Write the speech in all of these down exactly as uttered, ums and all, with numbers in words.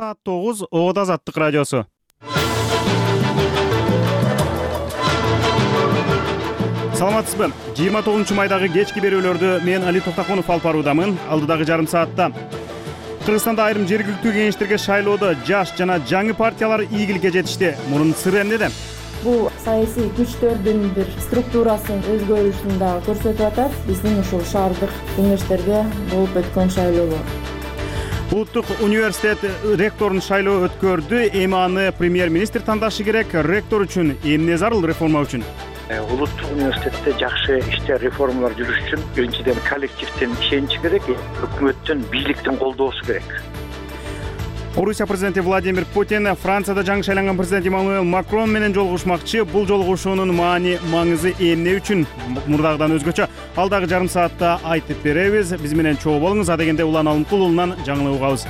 Саат тогуз Оот Азаттык радиосу. Саламатсызбы? жыйырма тогузунчу майдагы кечки берүүлөрдү мен Али Токтакунов алып баруудамын. Алдыдагы жарым саатта Кыргызстанда айрым жергиликтүү кеңештерге шайлоодо жаш жана жаңы партиялар ийгиликке жетишти. Мунун сыры эмнеде? Бул саясий күчтөрдүн бир структурасын өзгөрүшүн да көрсөтүп атат. Биздин ушул шаардык кеңештерге болуп өткөн шайлоо. Улуттук университет ректорун шайлоо өткөрдү. Эми аны премьер-министр тандашы керек. Ректор үчүн эмне зарыл реформа үчүн? Улуттук университетте жакшы иштер, реформалар жүрүш үчүн биринчиден коллективдин ишеничи керек, өкмөттүн, бийликтин колдоосу керек. Орусия президенти Владимир Путин Францияда жаңы шайланган президент Эммануэл Макрон менен жолугушмакчы. Бул жолугушуунун маани, маңызы эмне үчүн? Мурдагыдан өзгөчө алдагы жарым саатта айтып беребиз. Биз менен чогуу болуңуз. Адегенде Улан Алымкул уулунан жаңылык угабыз.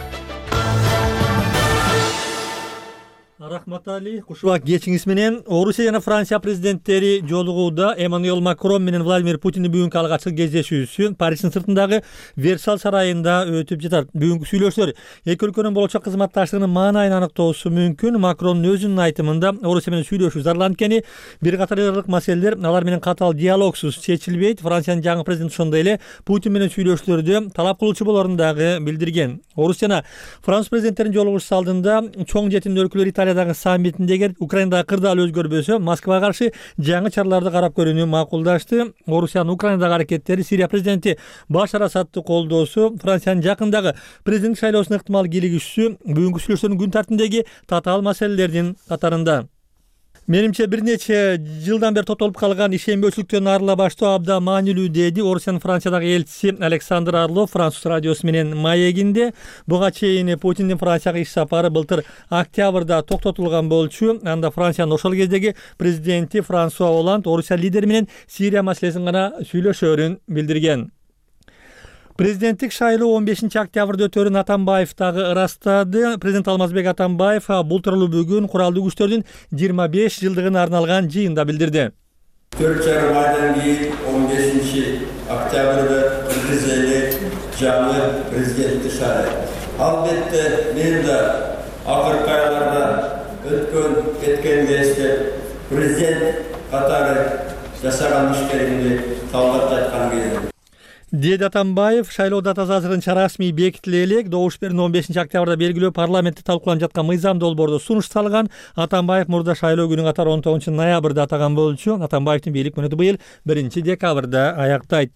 Рахмат Али. Кушубак кечиңиз менен Орусия жана Франция президенттери жолугууда. Эммануэл Макрон менен Владимир Путиндин бүгүнкү алгачкы кездешүүсү Париждин сыртындагы Версаль сарайында өтүп жатат. Бүгүнкү сүйлөшүүлөр эки өлкөнүн болочок кызматташтыгынын маанайын аныктоосу мүмкүн. Макрон өзүнүн айтымында Орусия менен сүйлөшүү зарыл, анткени бир катар ыргылык маселелер алар менен катаал диалогсуз чечилбейт. Франциянын жаңы президенти ошондой эле Путин менен сүйлөшүүлөрдү талап кылуучу болорун дагы билдирген. Орусия жана Франц президенттеринин жолугушуусу алдында чоң жетимдүү өлкөлөр Италиядагы саммитинде эгер Украинадагы кырдаал өзгөрбөсө, Москвага каршы жаңы чараларды карап көрүүнү макулдашты. Орусиянын Украинадагы аракеттери, Сирия президенти Башар Асадты колдоосу, Франциянын жакындагы президент шайлоосуна ыктымал кийлигишүүсү бүгүнкү сүйлөшүүлөрдүн күн тартибиндеги татаал маселелердин катарында. Менимче бир нече жылдан бери токтолуп калган ишенбөөчүлүктөн арыла баштоо абдан маанилүү, деди Орусиянын Франциядагы элчиси Александр Орлов Француз радиосу менен маегинде. Буга чейин Путиндин Францияга иш сапары былтыр октябрда токтотулган болчу. Анда Франциянын ошол кездеги президенти Франсуа Оланд Орусия лидери менен Сирия маселесин гана сүйлөшөөрүн билдирген. Президенттик шайлоо он бешинчи октябрда өтөөрүн Атамбаев дагы ырастады. Президент Алмазбек Атамбаев бул тууралуу бүгүн куралдуу күчтөрдүн жыйырма беш жылдыгына арналган жыйында билдирди. төрт жарым айдан кийин он бешинчи октябрда Кыргыз эли жаңы президентти шайлайт. Албетте мен да акыркы айларда өткөн кеткенди эстеп, президент катары жасаган иштеримди талдап жаткан кезде деди Атамбаев. Шайлоо датасы азырынча расмий бекитиле элек. Добуш берүүнү он бешинчи октябрда белгилөө парламентте талкууланып жаткан мыйзам долбоордо сунуш салган. Атамбаев мурда шайлоо күнү катары он тогузунчу ноябрда атаган болчу. Атамбаевдин бийлик мөөнөтү быйыл биринчи декабрда аяктайт.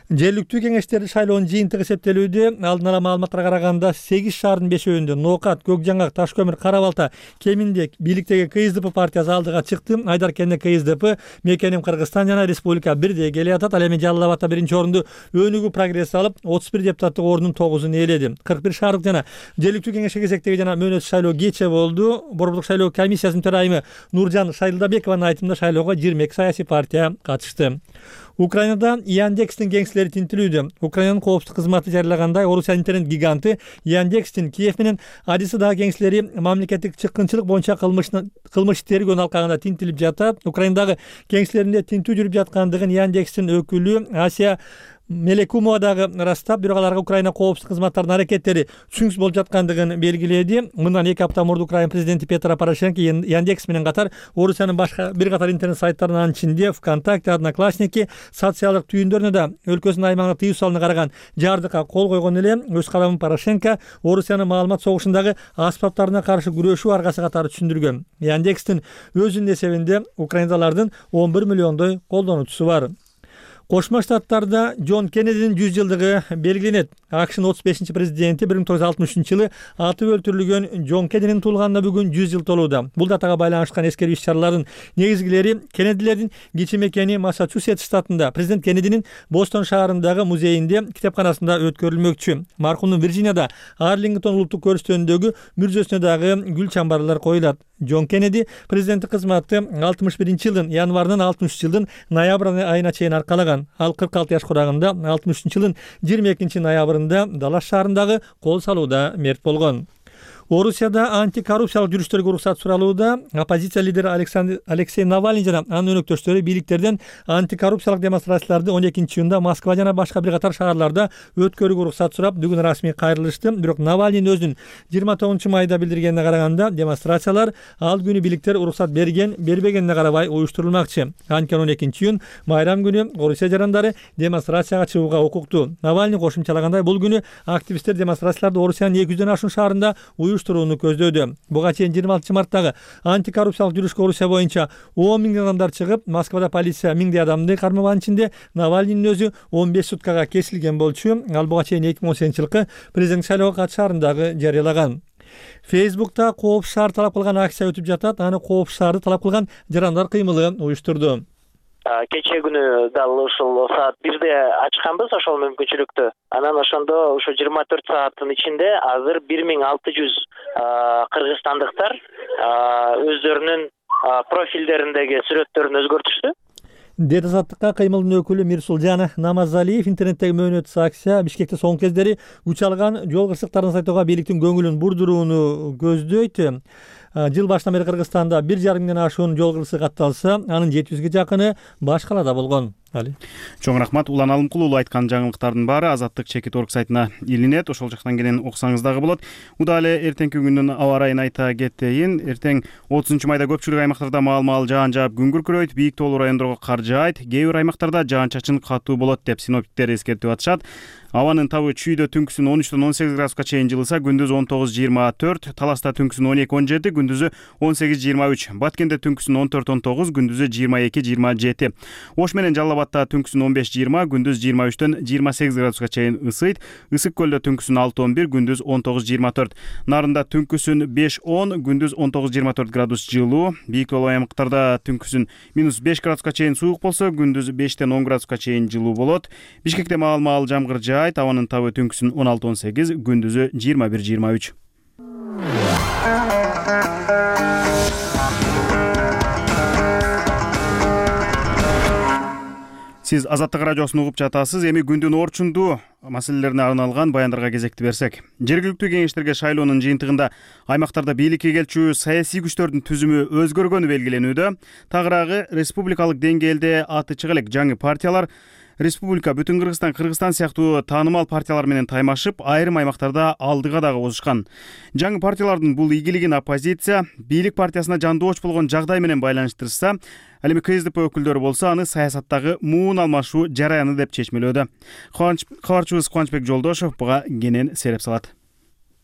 Жергиликтүү кеңештердин шайлоонун жыйынтыгы эсептелүүдө. Алдын ала маалыматтарга караганда сегиз шаардын бешөөндө Ноокат, Көкжаңак, Таш-Көмүр, Кара-Балта, Кеминде бийликтеги КСДП партиясы алдыга чыкты. Айдаркенде КСДП, Мекеним Кыргызстан жана Республика бирдей келе атат. Ал эми Жалал Абадта биринчи орунду өнүгүү прогресс алып, отуз бир депутаттык ордунун тогузун ээледи. кырк бир шаардык жана жергиликтүү кеңешке кезектеги жана мөөнөтсүз шайлоо кече болду. Борбордук шайлоо комиссиясынын төрайымы Нуржан Шайлдабекованын айтымында шайлоого жыйырма эки саясий партия катышты. Украинада Яндекстин кеңселери тинтилүүдө. Украинанын коопсуздук кызматы жарыялагандай, Орусия интернет гиганты Яндекстин Киев менен Одессадагы кеңселери мамлекеттик чыккынчылык боюнча кылмыш тергөө алкагында тинтилип жатат. Украиндагы кеңселеринде тинтүү жүрүп жаткандыгын Яндекстин өкүлү Асия Мелекумова дагы ырастап, бирок аларга Украина коопсуздук кызматтарынын аракеттери түсүнүксүз болуп жаткандыгын белгиледи. Мындан эки апта мурда Украина президенти Петро Порошенко Яндекс менен катар Орусиянын башка бир катар интернет сайттарынын ичинде ВКонтакте, Одноклассники социалдык түйүндөрүнө да өлкөсүнүн аймагына тыюу салууна караган жардыкка кол койгон эле. Өз каламын Порошенко Орусиянын маалымат согушундагы аспаптарына каршы күрөшүү аргасы катары түшүндүргөн. Яндекстин өзүнүн эсебинде Украиндалардын он бир миллиондой колдонуучусу бар. Кошмо Штаттарда Джон Кеннединин жүз жылдыгы белгиленет. АКШнын отуз бешинчи президенти бир миң тогуз жүз алтымыш үчүнчү жылы атып өлтүрүлгөн Джон Кеннединин туулганына бүгүн жүз жыл толууда. Бул датага байланышкан эскерүү иш-чаралардын негизгилери Кеннедилердин кичи мекени Массачусетс штатында президент Кеннединин Бостон шаарындагы музейинде китепканасында өткөрүлмөкчү. Маркумдун Вирджинияда Арлингтон улуттук көрүстөнүндөгү мүрзөсүнө дагы гүл чамбарлар коюлат. Джон Кеннеди президенттик кызматты алтымыш биринчи жылдын январынан алтымыш үчүнчү жылдын ноябрь айына чейин аркалаган. Ал кырк алты жаш курагында алтымыш үчүнчү жылдын жыйырма экинчи ноябрында Даллас шаарындагы кол салууда мерт болгон. Орусияда антикоррупциялык жүрүштөргө уруксат суралууда. Оппозиция лидери Алексей Навальный жана анын өнөктөштөрү бийликтерден антикоррупциялык демонстрацияларды он экинчи июнда Москва жана башка бир катар шаарларда өткөрүүгө уруксат сурап, бүгүн расмий кайрылышты. Бирок Навальный өзүнүн жыйырма тогузунчу майда билдиргенине караганда, демонстрациялар ал күнү бийликтер уруксат берген, бербегенине карабай уюштурулмакчы. Анткени он экинчи июнь майрам күнү Орусия жарандары демонстрацияга чыгууга укуктуу. Навальный кошумчалагандай, бул күнү активисттер демонстрацияларды Орусиянын эки жүздөн ашуун шаарында уюштурууну көздөөдө. Буга чейин жыйырма алтынчы марттагы антикоррупциялык жүрүшкө Орусия боюнча он миң адамдар чыгып, Москвада полиция миңдей адамды кармаган ичинде Навальнийдин өзү он беш суткага кесилген болчу. Ал буга чейин эки миң он сегизинчи жылкы президент шайлоого катышаардагы жарыялаган. Фейсбукта кооп шаар талап кылган акция өтүп жатат. Аны кооп шаарды талап кылган жарандар кыймылы уюштурду. Кече күнү дал ушул саат бирде ачканбыз ошол мүмкүнчүлүктү. Анан ошондо ушу жыйырма төрт сааттын ичинде азыр бир миң алты жүз кыргызстандыктар өздөрүнүн профилдериндеги сүрөттөрүн өзгөртүштү. Дет азаттыкка кыймылдын өкүлү Мирсулжан Намазалиев интернеттеги мөөнөтсүз акция Бишкекте соңку кездери үч алган жол кырсыктарын сайтоого бийликтин көңүлүн бурдурууну көздөйт. Жыл башынан бери Кыргызстанда бир жарым миңден ашуун жол кырсык катталса, анын жети жүзгө жакыны баш калаада болгон. Али. Чоң рахмат. Улан Алымкулуу айткан жаңылыктардын баары Азаттык чекит орг сайтына илинет. Ошол жактан келен окусаңыз дагы болот. Удаы эле эртеңки күндүн аба ырайын айта кетейин. Эртең отузунчу майда көпчүлүк аймактарда маал-маал жаан жаап күн күркүрөйт, бийик тоолуу райондорго кар жаайт, кээ бир аймактарда жаан-чачын катуу болот деп синоптиктер эскертип атышат. Абанын табы чүйдө түнкүсүн он үчтөн он сегиз градуска чейин жылыса, күндүз он тогуз жыйырма төрт, Таласта түнкүсүн он эки он жети, күндүзү он сегиз жыйырма үч, Баткенде түнкүсүн он төрт он тогуз, күндүзү жыйырма эки жыйырма жети. Ош менен Жалал Абадта түнкүсүн он беш жыйырма, күндүз жыйырма үчтөн жыйырма сегиз градуска чейин ысыйт. Ысык көлдө түнкүсүн алты он бир, күндүз он тогуз жыйырма төрт. Нарында түнкүсүн беш он, күндүз он тогуз жыйырма төрт градус жылуу. Бийик тоолуу аймактарда түнкүсүн минус беш градуска чейин суук болсо, күндүз бештен он градуска чейин жылуу болот. Бишкекте маал-маал жамгыр жаайт, абанын табы түнкүсүн он алты он сегиз, күндүзү жыйырма бир жыйырма үч. Сиз Азаттык радиосун угуп жатасыз. Эми күндүн орчундуу маселелерине арналган баяндарга кезекти берсек. Жергиликтүү кеңештерге шайлоонун жыйынтыгында аймактарда бийликке келчү саясий күчтөрдүн түзүмү өзгөргөнү белгиленүүдө. Тагыраагы республикалык деңгээлде аты чыга элек жаңы партиялар Республика, Бүтүн Кыргызстан, Кыргызстан сыяктуу таанымал партиялар менен таймашып, айрым аймактарда алдыга дагы озушкан. Жаңы партиялардын бул ийгилигин оппозиция бийлик партиясына жандооч болгон жагдай менен байланыштырса, ал эми КСДП өкүлдөрү болсо аны саясаттагы муун алмашуу жараяны деп чечмелөөдө. Кабарчыбыз Кубанычбек Жолдошов буга кенен сереп салат.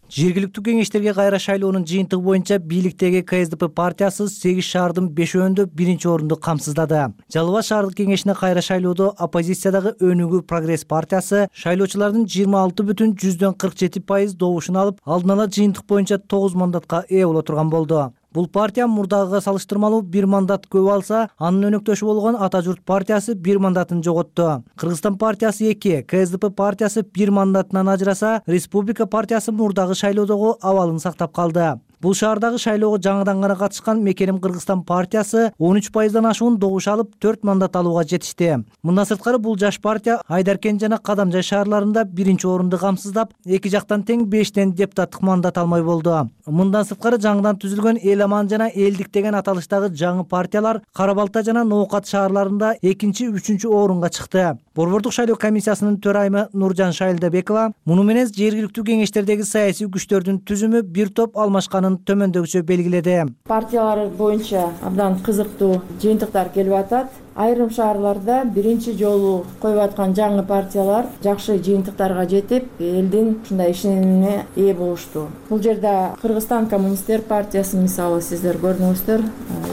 Жергиликтүү кеңештерге кайра шайлоонун жыйынтыгы боюнча бийликтеги КСДП партиясы сегиз шаардын бешөөндө биринчи орунду камсыздады. Жалал Абад шаардык кеңешине кайра шайлоодо оппозициядагы Өнүгүү Прогресс партиясы шайлоочулардын жыйырма алты бүтүн жүздөн кырк жети пайыз добушун алып, алдын ала жыйынтык боюнча тогуз мандатка ээ боло турган болду. Бул партия мурдагыга салыштырмалуу бир мандат көп алса, анын өнөктөшү болгон Ата журт партиясы бир мандатын жоготту. Кыргызстан партиясы эки, КСДП партиясы бир мандатынан ажыраса, Республика партиясы мурдагы шайлоодогу абалын сактап калды. Бул шаардагы шайлоого жаңыдан гана катышкан Мекеним Кыргызстан партиясы он үч пайыздан ашуун добуш алып, төрт мандат алууга жетишти. Мындан сырткары бул жаш партия Айдаркен жана Кадамжай шаарларында биринчи орунду камсыздап, эки жактан тең бештен депутаттык мандат алмай болду. Мындан сырткары жаңыдан түзүлгөн Эл Аман жана Элдик деген аталыштагы жаңы партиялар Кара Балта жана Ноокат шаарларында экинчи, үчүнчү орунга чыкты. Борбордук шайлоо комиссиясынын төрайымы Нуржан Шайлдабекова муну менен жергиликтүү кеңештердеги саясий күчтөрдүн түзүмү бир топ алмашканын төмөндөгүчө белгиледи. Партиялар боюнча абдан кызыктуу жыйынтыктар келип атат. Айрым шаарларда биринчи жолу коюп аткан жаңы партиялар жакшы жыйынтыктарга жетип, элдин ушундай ишенимине ээ болушту. Бул жерде Кыргызстан коммунисттер партиясы мисалы сиздер көрдүңүздөр,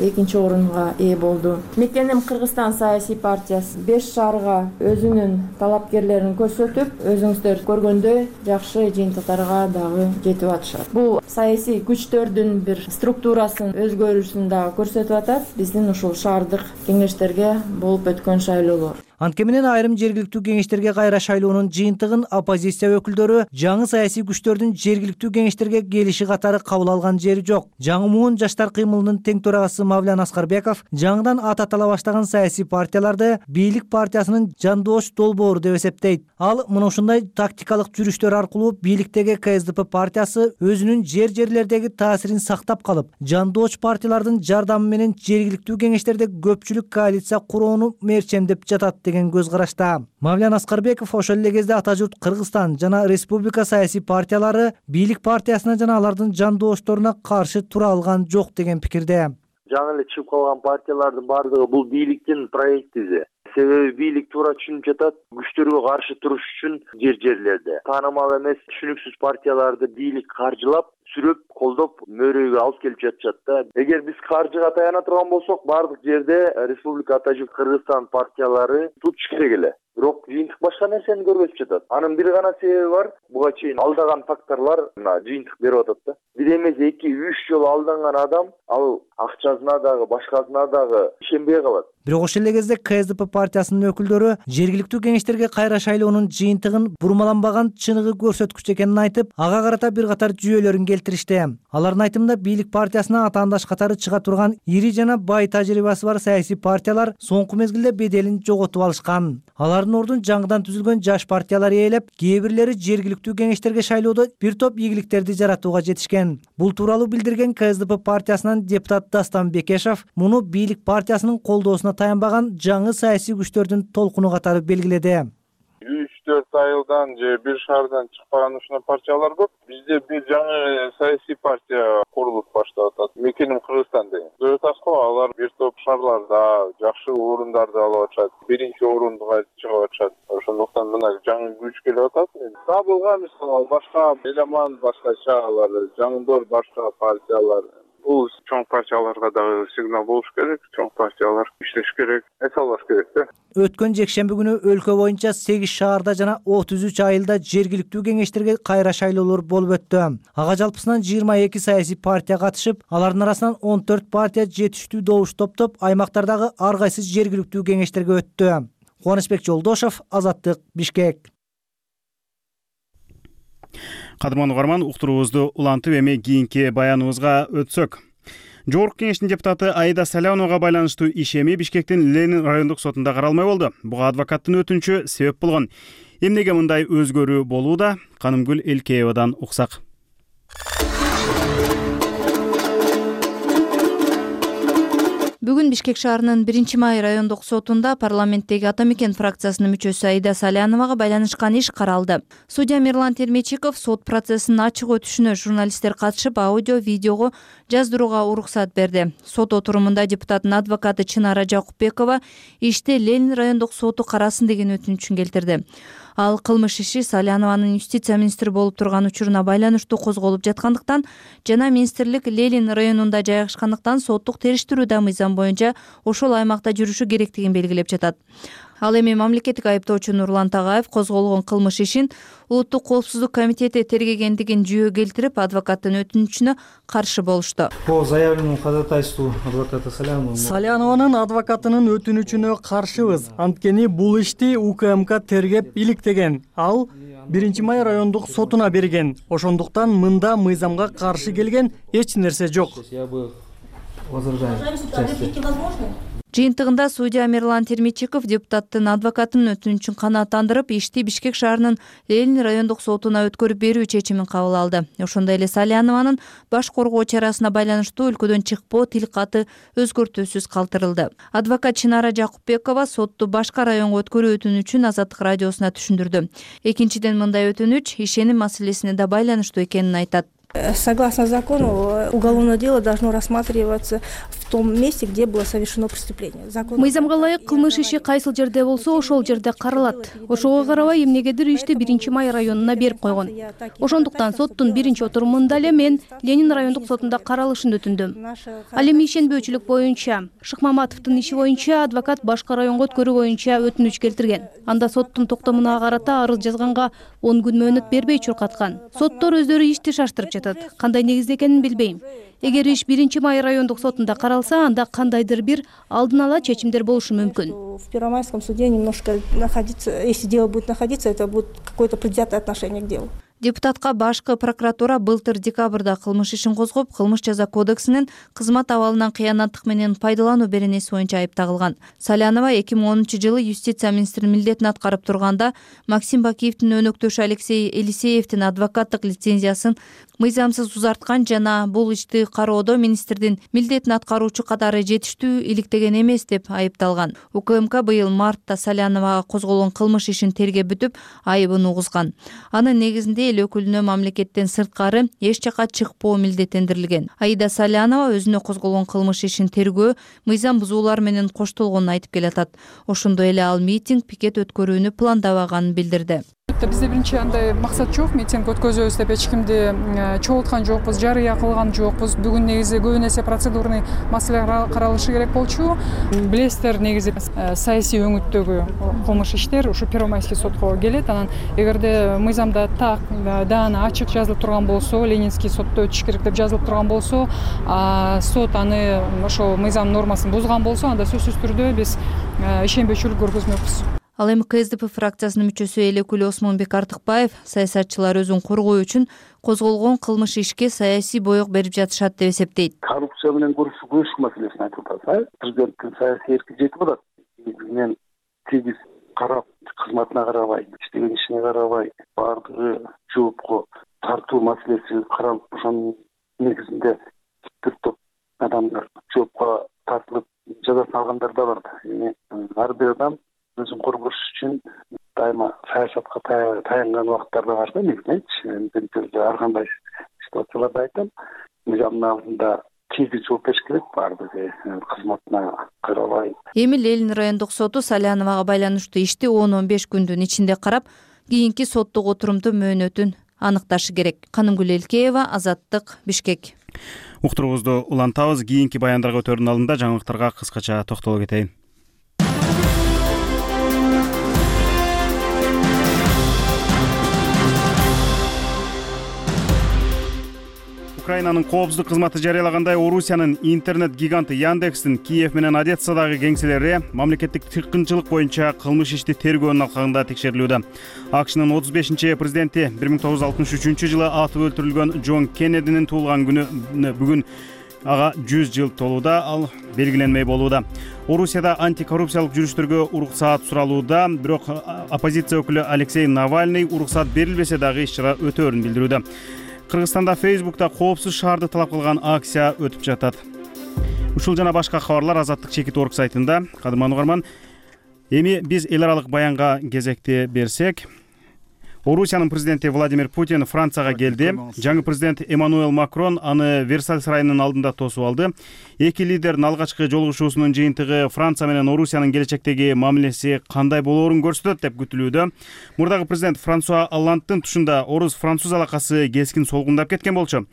экинчи орунга ээ болду. Мекеним Кыргызстан саясий партиясы беш шаарга өзүнүн талапкерлерин көрсөтүп, өзүңүздөр көргөндөй жакшы жыйынтыктарга дагы жетип атышат. Бул саясий күчтөрдүн бир структурасын өзгөрүүсүн дагы көрсөтүп атат. Биздин ушул шаардык кеңештерге болуп өткөн шайлоолор. Анткени менен айрым жергиликтүү кеңештерге кайра шайлоонун жыйынтыгын оппозиция өкүлдөрү жаңы саясий күчтөрдүн жергиликтүү кеңештерге келиши катары кабыл алган жери жок. Жаңы муун жаштар кыймылынын тең төрагасы Мавлян Аскарбеков жаңыдан ат атала баштаган саясий партияларды бийлик партиясынын жандоош долбоору деп эсептейт. Ал мына ушундай тактикалык жүрүштөр аркылуу бийликтеги ка эс дэ пэ партиясы өзүнүн жер-жерлердеги таасирин сактап калып, жандооч партиялардын жардамы менен жергиликтүү кеңештерде көпчүлүк коалиция куроону мерчемдеп жатат деген көз карашта. Мавлян Аскарбеков ошол эле кезде ата журт Кыргызстан жана республика саясий партиялары бийлик партиясына жана алардын жандоошторуна каршы тура алган жок деген пикирде. Жаңы эле чыгып калган партиялардын баардыгы бул бийликтин проектизи. Себеби бийлик туура түшүнүп жатат, күчтөргө каршы туруш үчүн жер-жерлерде таанымал эмес түшүнүксүз партияларды бийлик каржылап, сүрөп, колдоп мөөрөйгө алып келип жатышат да. Эгер биз каржыга таяна турган болсок, баардык жерде республика ата журт Кыргызстан партиялары tutуш керек эле. Бирок жыйынтык башка нерсени көрсөтүп жатат. Анын бир гана себеби бар, буга чейин алдаган факторлор мына жыйынтык берип атат да. Бир эмес эки үч жолу алданган адам ал акчасына дагы, башкасына дагы ишенбей калат. Бирок ошол эле кезде ка эс дэ пэ партиясынын өкүлдөрү жергиликтүү кеңештерге кайра шайлоонун жыйынтыгын бурмаланбаган чыныгы көрсөткүч экенин айтып, ага карата бир катар жүйөлөрүн келтиришти. Алардын айтымында бийлик партиясына атаандаш катары чыга турган ири жана бай тажрыйбасы бар саясий партиялар соңку мезгилде беделин жоготуп алышкан. Алардын ордун жаңыдан түзүлгөн жаш партиялар ээлеп, кээ бирлери жергиликтүү кеңештерге шайлоодо бир топ ийгиликтерди жаратууга жетишкен. Бул тууралуу билдирген ка эс дэ пэ партиясынан депутат Дастан Бекешев муну бийлик партиясынын колдоосуна таянбаган жаңы саясий күчтөрдүн толкуну катары белгиледи. үч төрт айылдан же бир шаардан чыкпаган ушундай партиялар көп. Бизде бир жаңы саясий партия курулуп баштап атат. Мекеним Кыргызстан деген. Көрөтасыз го, алар бир топ шаарларда жакшы орундарды алып атышат. Биринчи орундуга чыгып атышат. Ошондуктан мына жаңы күч келип атат. Табылган мисалы башка элеман башкача, алар жаңдор башка партиялар. Бул чоң партияларга дагы сигнал болуш керек, чоң партиялар иштеш керек, эс албаш керек да. Өткөн жекшемби күнү өлкө боюнча сегиз шаарда жана отуз үч айылда жергиликтүү кеңештерге кайра шайлоолор болуп өттү. Ага жалпысынан жыйырма эки саясий партия катышып, алардын арасынан он төрт партия жетиштүү добуш топтоп, аймактардагы ар кайсы жергиликтүү кеңештерге өттү. Кубанычбек Жолдошов, Азаттык, Бишкек. Кадырман угарман, уктуруубузду улантып эми кийинки баяныбызга өтсөк. Жогорку кеңештин депутаты Аида Салянова байланыштуу ишеми Бишкектин Ленин райондук сотунда каралмай болду. Буга адвокаттын өтүнүчү себеп болгон. Эмнеге мындай өзгөрүү болууда? Канымгүл Элкеевадан уксак. Бүгүн Бишкек шаарынын биринчи май райондук сотунда парламенттеги Ата мекен фракциясынын мүчөсү Аида Саляновага байланышкан иш каралды. Судья Мирлан Термечиков сот процессинин ачык өтүшүнө журналисттер катышып аудио, видеого жаздырууга уруксат берди. Сот отурумунда депутаттын адвокаты Чынара Жакупбекова ишти Ленин райондук соту карасын деген өтүнүчүн келтирди. Ал кылмыш иши Салянованын юстиция министри болуп турган учуруна байланыштуу козголуп жаткандыктан жана министрлик Ленин районунда жайгашкандыктан соттук териштирүү да мыйзам боюнча ошол аймакта жүрүшү керектигин белгилеп жатат. Ал эми мамлекеттик айыптоочу Нурлан Тагаев козголгон кылмыш ишин Улуттук коопсуздук комитети тергегендигин жүйө келтирип, адвокаттын өтүнүчүнө каршы болушту. По заявленному ходатайству адвоката Салянова. Салянованын адвокатынын өтүнүчүнө каршыбыз. Анткени бул ишти У К М К тергеп иликтеген. Ал биринчи май райондук сотуна берген. Ошондуктан мында мыйзамга каршы келген эч нерсе жок. Я бы возражаю. Жыйынтыгында судья Мирлан Термечиков депутаттын адвокатынын өтүнүчүн канааттандырып, ишти Бишкек шаарынын Ленин райондук сотуна өткөрүп берүү чечимин кабыл алды. Ошондой эле Салянованын баш коргоо чарасына байланыштуу өлкөдөн чыкпоо тилкаты өзгөртүүсүз калтырылды. Адвокат Чынара Жакупбекова сотту башка районго өткөрүү өтүнүчүн Азаттык радиосуна түшүндүрдү. Экинчиден, мындай өтүнүч ишеним маселесине да байланыштуу экенин айтат. Согласно закону, уголовное дело должно рассматриваться в том месте, где было совершено преступление. Мыйзамга ылайык кылмыш иши кайсыл жерде болсо, ошол жерде каралат. Ошого карабай эмнегедир ишти биринчи май районуна берип койгон. Ошондуктан соттун биринчи отурумунда эле мен Ленин райондук сотунда каралышын өтүндүм. Ал эми ишенбөөчүлүк боюнча, Шыкмаматовдун иши боюнча адвокат башка районго өткөрүү боюнча өтүнүч келтирген. Анда соттун токтомуна карата арыз жазганга он күн мөөнөт бербей чуркаткан. Соттор өздөрү ишти шаштырып жатат. атат. Кандай негизде экенин билбейм. Эгер иш биринчи май райондук сотунда каралса, анда кандайдыр бир алдын ала чечимдер болушу мүмкүн. В Первомайском суде немножко находиться, если дело будет находиться, это будет какое-то предвзятое отношение к делу. Депутатка башкы прокуратура былтыр декабрда кылмыш ишин козгоп, кылмыш жаза кодексинин кызмат абалынан кыянаттык менен пайдалануу беренеси боюнча айып тагылган. Салянова эки миң онунчу жылы юстиция министри милдетин аткарып турганда Максим Бакиевдин өнөктөшү Алексей Елисеевдин адвокаттык лицензиясын мыйзамсыз узарткан жана бул ишти кароодо министрдин милдетин аткаруучу катары жетиштүү иликтеген эмес деп айыпталган. УКМК быйыл мартта Саляновага козголгон кылмыш ишин тергеп бүтүп, айыбын угузган. Анын негизинде эл өкүлүнө мамлекеттен сырткары эч жака чыкпоо милдеттендирилген. Аида Салянова өзүнө козголгон кылмыш ишин тергөө мыйзам бузуулар менен коштолгонун айтып келатат. Ошондой эле ал митинг, пикет өткөрүүнү пландабаганын билдирди. Бизде биринчи андай максат жок, митинг өткөзөбүз деп эч кимди чогулткан жокпуз, жарыя кылган жокпуз. Бүгүн негизи көбүн эсе процедурный маселелер каралышы керек болчу. Билесиздер, негизи саясий өңүттөгү кылмыш иштер ушу Первомайский сотко келет. Анан эгерде мыйзамда так даана ачык жазылып турган болсо, Ленинский сотто өтүш керек деп жазылып турган болсо, сот аны ошол мыйзам нормасын бузган болсо, анда сөзсүз түрдө биз ишенбөөчүлүк көргөзмөкпүз. Ал эми КСДП фракциясынын мүчөсү эл өкүлү Осмонбек Артыкбаев саясатчылар өзүн коргоо үчүн козголгон кылмыш ишке саясий боек берип жатышат деп эсептейт. Коррупция менен күрөшүү маселесин айтып атат. Президенттин саясий эрки жетип атат. Мен тегиз карап, кызматына карабай, иштеген ишине карабай, баардыгы жоопко тартуу маселеси каралып, ошонун негизинде бир топ адамдар жоопко тартылып жазасын алгандар да бар. Эми ар бир адам өзүн коргош үчүн дайыма саясатка таянган убакыттар да бар да, негизинчи ар кандай ситуацияларда айтам, мыйзамдын алдында тегиз жооп бериш керек, баардыгы кызматына карабай. Эми Ленин райондук соту Саляновага байланыштуу ишти он он беш күндүн ичинде карап, кийинки соттук отурумду мөөнөтүн аныкташы керек. Канымгүл Элкеева, Азаттык, Бишкек. Уктуруубузду улантабыз. Кийинки баяндарга өтөрдүн алдында жаңылыктарга кыскача токтоло кетейин. Украинанын коопсуздук кызматы жарыялагандай, Орусиянын интернет гиганты Яндекстин Киев менен Одессадагы кеңселери мамлекеттик тыккынчылык боюнча кылмыш ишти тергөөнүн алкагында текшерилүүдө. АКШнын отуз бешинчи президенти бир миң тогуз жүз алтымыш үчүнчү жылы атып өлтүрүлгөн Джон Кеннединин туулган күнү бүгүн ага жүз жыл толууда, ал белгиленмей болууда. Орусияда антикоррупциялык жүрүштөргө уруксаат суралууда, бирок оппозиция өкүлү Алексей Навальный уруксаат берилбесе дагы иш-чара өтөөрүн билдирүүдө. Кыргызстанда Фейсбукта коопсуз шаарды талап кылган акция өтүп жатат. Ушул жана башка кабарлар Азаттык чекит орг сайтында. Кадырман угарман, эми биз эл аралык баянга кезекти берсек, Орусиянын президенти Владимир Путин Францияга келди. Жаңы президент Эммануэл Макрон аны Версаль сарайынын алдында тосуп алды. Эки лидердин алгачкы жолугушуусунун жыйынтыгы Франция менен Орусиянын келечектеги мамилеси кандай болоорун көрсөтөт деп күтүлүүдө. Мурдагы президент Франсуа Олландтын тушунда орус-француз алакасы кескин солгундап кеткен болчу.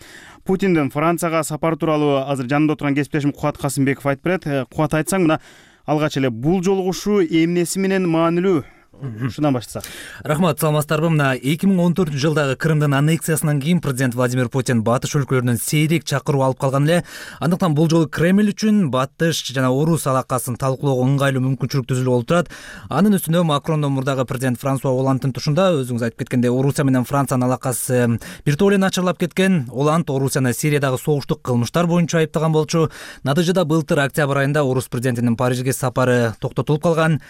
Путиндин Францияга сапары тууралуу азыр жанымда отурган кесиптешим Кубат Касымбеков айтып берет. Кубат, айтсаң, мына алгач эле бул жолугушуу эмнеси менен маанилүү? Ушундан баштасак. Рахмат, саламатсыздарбы? Мына эки миң он төртүнчү жылдагы Крымдын аннексиясынан кийин президент Владимир Путин батыш өлкөлөрүнөн сейрек чакыруу алып калган эле. Андыктан бул жолу Кремль үчүн батыш жана орус алакасын талкуулоого ыңгайлуу мүмкүнчүлүк түзүлүп олтурат. Анын үстүнө Макрондон мурдагы президент Франсуа Олландтын тушунда, өзүңүз айтып кеткендей, Орусия менен Франциянын алакасы бир топ эле начарлап кеткен. Олланд Орусияны Сириядагы согуштук кылмыштар боюнча айыптаган болчу. Натыйжада былтыр октябрь айында орус президентинин Парижге сапары токтотулуп калган.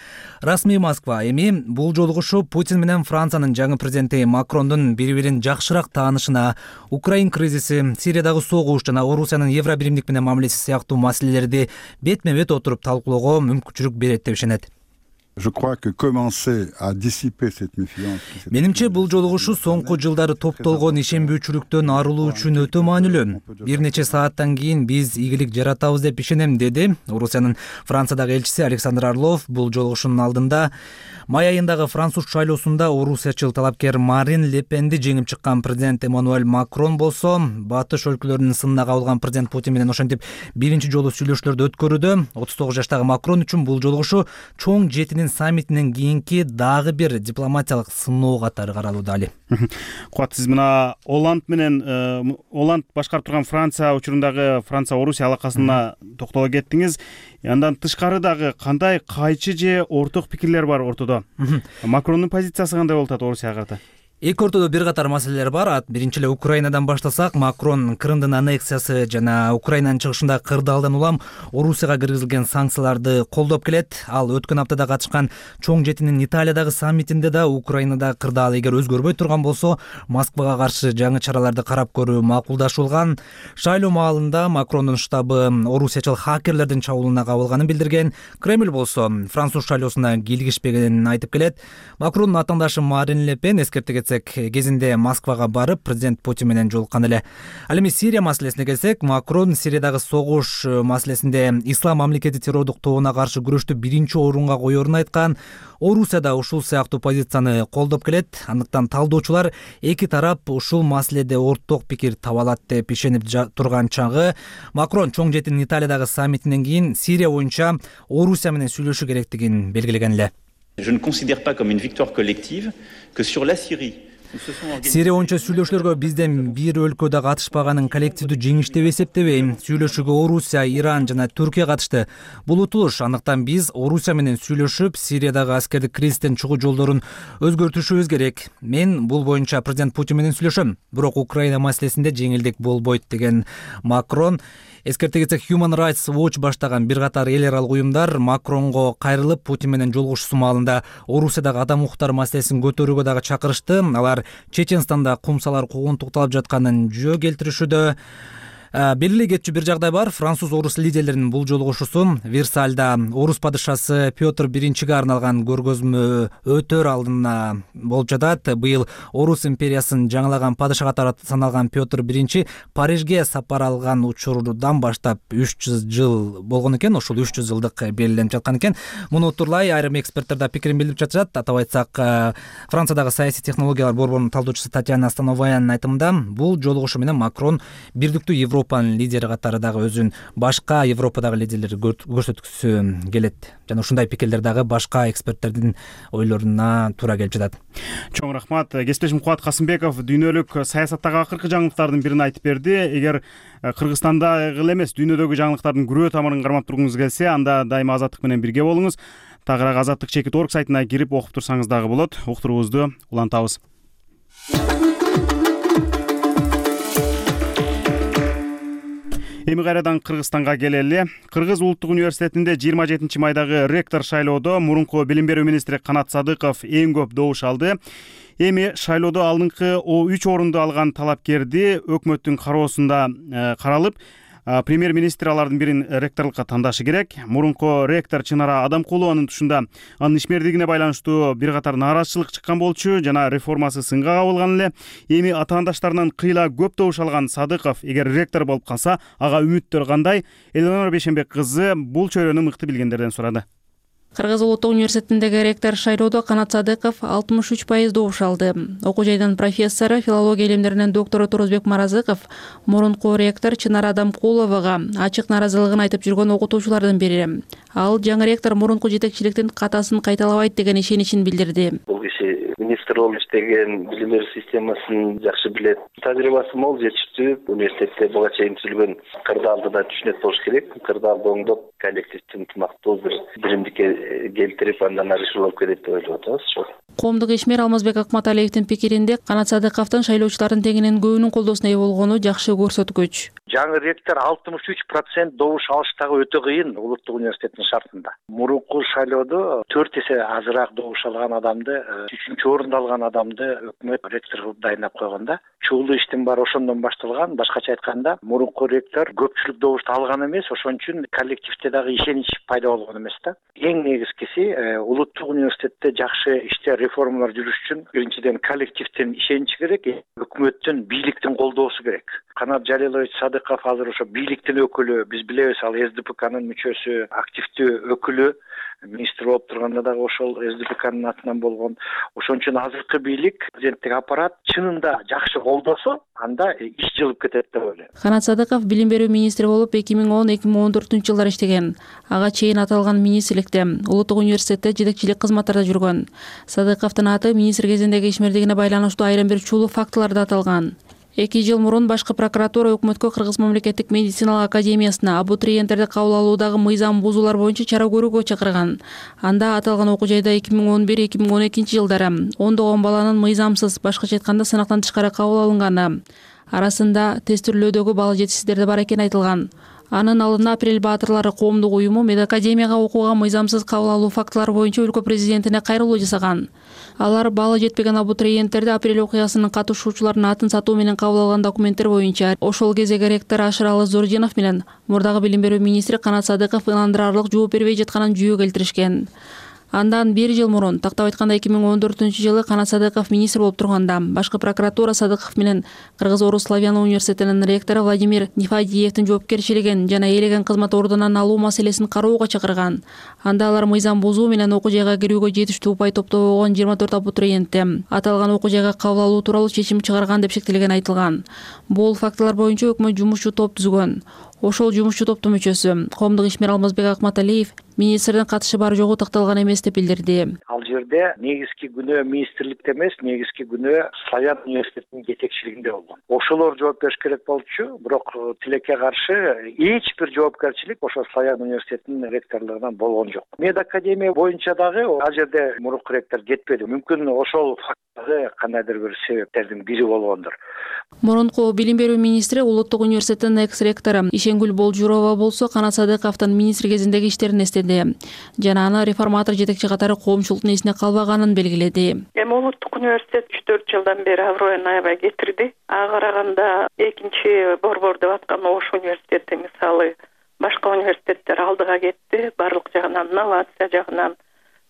Расмий Москва эми бул жолугушуу Путин менен Франциянын жаңы президенти Макрондун бири-бирин жакшыраак таанышына, Украин кризиси, Сириядагы согуш жана Орусиянын Евробиримдик менен мамилеси сыяктуу маселелерди бетме-бет отуруп талкуулоого мүмкүнчүлүк берет деп ишенет. Менимче бул жолугушуу соңку жылдары топтолгон ишенбөөчүлүктөн арылуу үчүн өтө маанилүү. Бир нече сааттан кийин биз ийгилик жаратабыз деп ишенем, деди Орусиянын Франциядагы элчиси Александр Орлов бул жолугушуунун алдында. Май айындагы француз шайлоосунда орусиячыл талапкер Марин Ле Пенди жеңип чыккан президент Эммануэль Макрон болсо, батыш өлкөлөрүнүн сынына кабылган президент Путин менен ошентип биринчи жолу сүйлөшүүлөрдү өткөрүүдө. отуз тогуз жаштагы Макрон үчүн бул жолугушуу чоң жетинин Берлин саммитинен кийинки дагы бир дипломатиялык сыноо катары каралууда. Али Кубат, сиз мына Оланд менен Оланд башкарып турган Франция учурундагы Франция Орусия алакасына токтоло кеттиңиз. Андан тышкары дагы кандай кайчы же орток пикирлер бар ортодо? Макрондун позициясы кандай болуп атат Орусияга карата? Эки ортодо бир катар маселелер бар. Биринчи эле Украинадан баштасак, Макрон Крымдын аннексиясы жана Украинанын чыгышында кырдаалдан улам Орусияга киргизилген санкцияларды колдоп келет. Ал өткөн аптада катышкан чоң жетинин Италиядагы саммитинде да Украинада кырдаал эгер өзгөрбөй турган болсо, Москвага каршы жаңы чараларды карап көрүү макулдашылган. Шайлоо маалында Макрондун штабы орусиячыл хакерлердин чабуулуна кабылганын билдирген. Кремль болсо француз шайлоосуна кийлигишпегенин айтып келет. Макрондун атаандашы Марин Ле Пен эскерте кетсек, кезинде Москвага барып президент Путин менен жолуккан эле. Ал эми Сирия маселесине келсек, Макрон Сириядагы согуш маселесинде ислам мамлекети террордук тобуна каршы күрөштү биринчи орунга коерун айткан. Орусия да ушул сыяктуу позицияны колдоп келет. Андыктан талдоочулар эки тарап ушул маселеде орток пикир таба алат деп ишенип турган чагы, Макрон чоң жетин Италиядагы саммитинен кийин Сирия боюнча Орусия менен сүйлөшүү керектигин белгилеген эле. Je ne considère pas comme une victoire collective que sur la Syrie. Сирия боюнча сүйлөшүүлөргө бизден бир өлкө да катышпаганын коллективдүү жеңиш деп эсептебейм. Сүйлөшүүгө Орусия, Иран жана Түркия катышты. Бул утулуш. Андыктан биз Орусия менен сүйлөшүп, Сириядагы аскердик кризистен чыгуу жолдорун өзгөртүшүбүз керек. Мен бул боюнча президент Путин менен сүйлөшөм. Бирок Украина маселесинде жеңилдик болбойт деген Макрон. Эскерте кетсек, Human Rights Watch баштаган бир катар эл аралык уюмдар Макронго кайрылып, Путин менен жолугушуусу маалында Орусиядагы адам укуктары маселесин көтөрүүгө дагы чакырышты. Алар Чеченстанда кумсалар куугунтукталып жатканын жөө келтиришүүдө. Белгилей кетчү бир жагдай бар. Француз-орус лидерлеринин бул жолугушуусу Версальда орус падышасы Петр биринчиге арналган көргөзмө өтөр алдына болуп жатат. Быйыл Орус империясын жаңылаган падыша катары саналган Петр биринчи Парижге сапар алган учурдан баштап үч жүз жыл болгон экен. Ошол үч жүз жылдык белгиленип жаткан экен. Муну турлай айрым эксперттер да пикирин билдирип жатышат. Атап айтсак, Франциядагы саясий технологиялар борборунун талдоочусу Татьяна Становаянын айтымында, бул жолугушуу менен Макрон бирдиктүү Европа Европанын лидери катары дагы өзүн башка Европадагы лидерлерди көрсөткүсү келет. Жана ушундай пикирлер дагы башка эксперттердин ойлоруна туура келип жатат. Чоң рахмат. Кесиптешим Кубат Касымбеков дүйнөлүк саясаттагы акыркы жаңылыктардын бирин айтып берди. Эгер Кыргызстандагы эле эмес, дүйнөдөгү жаңылыктардын күрөө тамырын кармап тургуңуз келсе, анда дайыма Азаттык менен бирге болуңуз. Тагыраак азаттык чекит орг сайтына кирип окуп турсаңыз дагы болот. Уктуруубузду улантабыз. Эми кайрадан Кыргызстанга келели. Кыргыз улуттук университетинде жыйырма жетинчи майдагы ректор шайлоодо мурунку билим берүү министри Канат Садыков эң көп добуш алды. Эми шайлоодо алдыңкы үч орунду алган талапкерди өкмөттүн кароосунда каралып, премьер-министр алардын бирин ректорлукка тандашы керек. Мурунку ректор Чынара Адамкулованын тушунда анын ишмердигине байланыштуу бир катар нааразычылык чыккан болчу жана реформасы сынга кабылган эле. Эми атаандаштарынан кыйла көп добуш алган Садыков эгер ректор болуп калса, ага үмүттөр кандай? Элонора Бейшенбек кызы бул чөйрөнү мыкты билгендерден сурады. Кыргыз улуттук университетиндеги ректор шайлоодо Канат Садыков алтымыш үч пайыз добуш алды. Окуу жайдын профессору, филология илимдеринин доктору Турузбек Маразыков мурунку ректор Чынара Адамкуловага ачык нааразылыгын айтып жүргөн окутуучулардын бири. Ал жаңы ректор мурунку жетекчиликтин катасын кайталабайт деген ишеничин билдирди. Бул киши министр болуп иштеген, билим берүү системасын жакшы билет. Тажрыйбасы мол, жетиштүү. Университетте буга чейин түзүлгөн кырдаалды да түшүнөт болуш керек. Кырдаалды оңдоп, коллективдин ынтымактуу бир биримдикке келтирип, андан ары алып келет деп ойлоп атабыз. Коомдук ишмер Алмазбек Акматалиевдин пикиринде, Канат Садыковдун шайлоочулардын тегинен көбүнүн колдоосуна ээ болгону жакшы көрсөткүч. Жаңы ректор алтымыш үч процент добуш алыш дагы өтө кыйын улуттук университеттин шартында. Мурунку шайлоодо төрт эсе азыраак добуш алган адамды, үчүнчү орунду алган адамды өкмөт ректор кылып дайындап койгонда, чуулуу иштин баары ошондон башталган. Башкача айтканда, мурунку ректор көпчүлүк добушту алган эмес, ошон үчүн коллективде дагы ишенич пайда болгон эмес да. Эң негизгиси улуттук университетте жакшы иштер, реформалар жүрүш үчүн биринчиден коллективдин ишеничи керек, өкмөттүн, бийликтин колдоосу керек. Канат Жалилович Садыков азыр ошо бийликтин өкүлү, биз билебиз, ал эс ди пэ канын мүчөсү, активдүү өкүлү. министр болуп турганда дагы ошол СДПКнын атынан болгон. Ошон үчүн азыркы бийлик, президенттик аппарат чынында жакшы колдосо, анда иш жылып кетет деп ойлойм. Канат Садыков билим берүү министри болуп эки миң он эки миң он төртүнчү жылдары иштеген. Ага чейин аталган министрликте Улуттук университетте жетекчилик кызматтарда жүргөн. Садыковдун аты министр кезиндеги ишмердигине байланыштуу айрым бир чулуу фактыларда аталган. Эки жыл мурун башкы прокуратура өкмөткө Кыргыз мамлекеттик медициналык академиясына абитуриенттерди кабыл алуудагы мыйзам бузуулар боюнча чара көрүүгө чакырган. Анда аталган окуу жайда эки миң он бир эки миң он экинчи жылдары ондогон баланын мыйзамсыз, башкача айтканда сынактан тышкары кабыл алынганы, арасында тестирлөөдөгү бала жетишсиздер да бар экени айтылган. Анын алдында Апрель баатырлары коомдук уюму медакадемияга окууга мыйзамсыз кабыл алуу фактылары боюнча өлкө президентине кайрылуу жасаган. Алар баалы жетпеген абитуриенттерди Апрель окуясынын катышуучуларынын атын сатуу менен кабыл алган документтер боюнча ошол кездеги ректор Ашыралы Зординов менен мурдагы билим берүү министри Канат Садыков ынандырарлык жооп бербей жатканын жүйө келтиришкен. Андан бир жыл мурун, тактап айтканда эки миң он төртүнчү жылы Канат Садыков министр болуп турганда, башкы прокуратура Садыков менен Кыргыз Орус Славян университетинин ректору Владимир Нефадиевдин жоопкерчилигин жана ээлеген кызмат ордунан алуу маселесин кароого чакырган. Анда алар мыйзам бузуу менен окуу жайга кирүүгө жетиштүү упай топтобогон жыйырма төрт абитуриентти аталган окуу жайга кабыл алуу тууралуу чечим чыгарган деп шектелген айтылган. Бул фактылар боюнча өкмөт жумушчу топ түзгөн. Ошол жумушчу топтун мүчөсү коомдук ишмер Алмазбек Акматалиев министрдин катышы бар жогу такталган эмес деп билдирди. Ал жерде негизги күнөө министрликте эмес, негизги күнөө Славян университетинин жетекчилигинде болгон. Ошолор жооп бериш керек болчу, бирок тилекке каршы эч бир жоопкерчилик ошол Славян университетинин ректорлугунан болгон жок. Медакадемия боюнча дагы ал жерде мурунку ректор кетпеди. Мүмкүн ошол факттагы кандайдыр бир себептердин бири болгондур. Мурунку билим берүү министри Улуттук университеттин экс-ректору Ишенгүл Болжурова болсо Канат Садыковдун министр кезиндеги иштерин эстеди жана аны реформатор жетекчи катары коомчулуктун эсине калбаганын белгиледи. Эми Улуттук университет үч төрт жылдан бери аброюн аябай кетирди. Ага караганда экинчи борбор деп аткан Ош университети мисалы башка университеттер алдыга кетти. Барлык жагынан, инновация жагынан,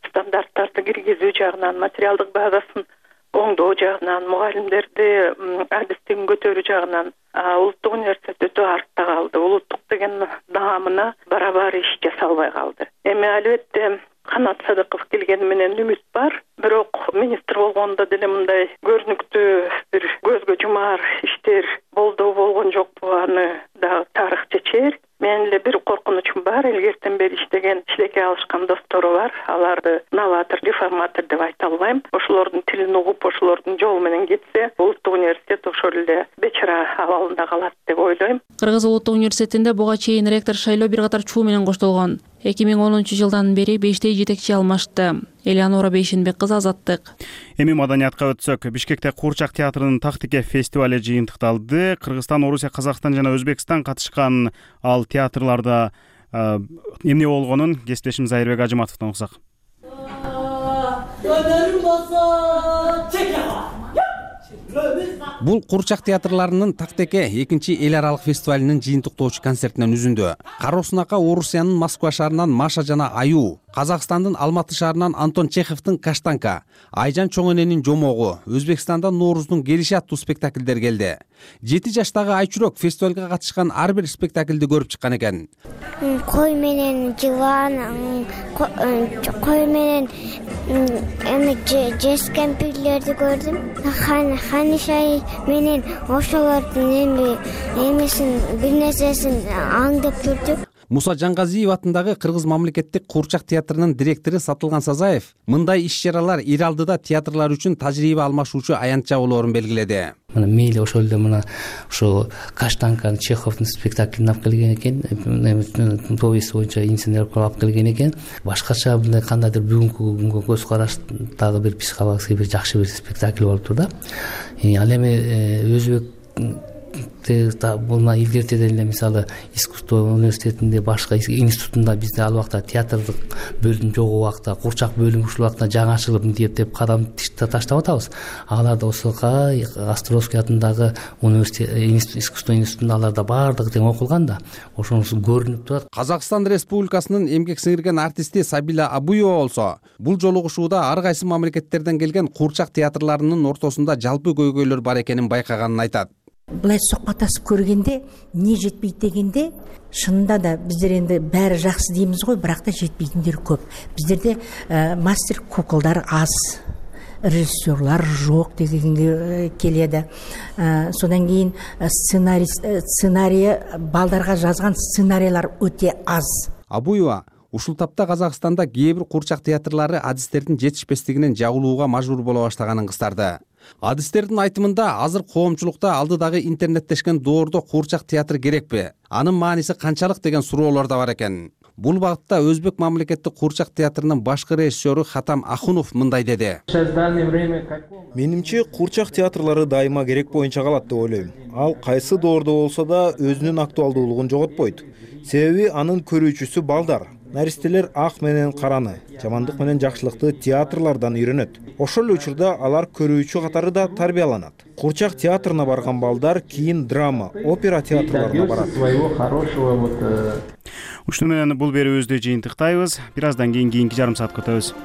стандарттарды киргизүү жагынан, материалдык базасын оңдоо жагынан, мугалимдерди адистигин көтөрүү жагынан Улуттук университет өтө артта калды. Улуттук деген наамына барабар иш жасалбай калды. Эми албетте Канат Садыков келгени менен үмүт бар. Бирок министр болгондо деле мындай көрүнүктүү бир көзгө жумаар иштер болду болгон жокпу, аны дагы тарых чечер. Менин эле бир коркунучум бар. Илгертен бери иштеген, чилекке алышкан достору бар. Аларды новатор, реформатор деп айта албайм. Ошолордун тилин угуп, ошолордун жолу менен кетсе, Улуттук университет ошол эле бечара абалында калат деп ойлойм. Кыргыз Улуттук университетинде буга чейин ректор шайлоо бир катар чуу менен коштолгон. эки миң онунчу жылдан бери бештей жетекчи алмашты. Элеонора Бейшенбек кызы, Азаттык. Эми маданиятка өтсөк, Бишкекте Куурчак театрынын Тактике фестивале жыйынтыкталды. Кыргызстан, Орусия, Казакстан жана Өзбекстан катышкан ал театрларда эмне болгонун кесиптешим Зайырбек Ажыматовдон угсак. Бул Куурчак театрларынын Тактеке экинчи эл аралык фестивалынын жыйынтыктоочу концертинен үзүндү. Кароосунака Орусиянын Москва шаарынан Маша жана Аю, Казакстандын Алматы шаарынан Антон Чеховдун Каштанка, Айжан Чоңененин Жомогу, Өзбекстандан Нооруздун Келиши аттуу спектаклдер келди. жети жаштагы Айчурок фестивалга катышкан ар бир спектаклди көрүп чыккан экен. Кой менен жылан, кой менен эми жескен пирлерди көрдүм. Ханишай менен ошолордун эми эмесин бир нерсесин аңдып жүрдүк. Муса Жангазиев атындагы Кыргыз мамлекеттик Куурчак театрынын директору Сатылган Сазаев мындай иш-чаралар ир алдыда театрлар үчүн тажрыйба алмашуучу аянтча болоорун белгиледи. Мына мейли ошол эле мына ошо Каштанканы Чеховдун спектаклин алып келген экен, повесть боюнча инсценировка алып келген экен. Башкача мындай кандайдыр бүгүнкү күнгө көз караш дагы бир психологический бир жакшы бир спектакль болуптур да. Ал эми өзбек мына илгертеде эле мисалы искусство университетинде башка институтунда бизде ал убакта театрдык бөлүм жок убакта Куурчак бөлүмү ушул убакта жаңы ачылып мынтип деп кадам таштап атабыз. Аларда Осока Островский атындагы университет искусство институтунда аларда баардыгы тең окулган да. Ошонусу көрүнүп турат. Казакстан Республикасынын эмгек сиңирген артисти Сабила Абуева болсо, бул жолугушууда ар кайсы мамлекеттерден келген Куурчак театрларынын ортосунда жалпы көйгөйлөр бар экенин байкаганын айтат. Былай сухбатташып көргенде эмне жетпейт дегенде, шынында да биздер энди баары жакшы дейбиз го, бирок да жетпейтиндер көп. Биздерде мастер куколдар аз, режиссерлар жок дегенге келеді. Содан кейін сценарий сценарий балдарга жазган сценарийлар өте аз. Абуева ушул тапта Казакстанда кээ бир курчак театрлары адистердин жетишпестигинен жабылууга мажбур боло баштаганын кыстарды. Адистердин айтымында азыр коомчулукта алдыдагы интернеттешкен доордо курчак театр керекпи? Анын мааниси канчалык деген суроолор да бар экен. Бул багытта Өзбек мамлекеттик курчак театрынын башкы режиссеру Хатам Ахунов мындай деди. Менимче курчак театрлары дайыма керек боюнча калат деп ойлойм. Ал кайсы доордо болсо да өзүнүн актуалдуулугун жоготпойт. Себеби анын көрүүчүсү балдар. Наристелер ак менен караны, жамандык менен жакшылыкты театрлардан үйрөнөт. Ошол эле учурда алар көрүүчү катары да тарбияланат. Курчак театрына барган балдар кийин драма, опера театрларына барат. Ушуну менен бул берүүбүздү жыйынтыктайбыз. Бир аздан кийин кийинки жарым саатка өтөбүз.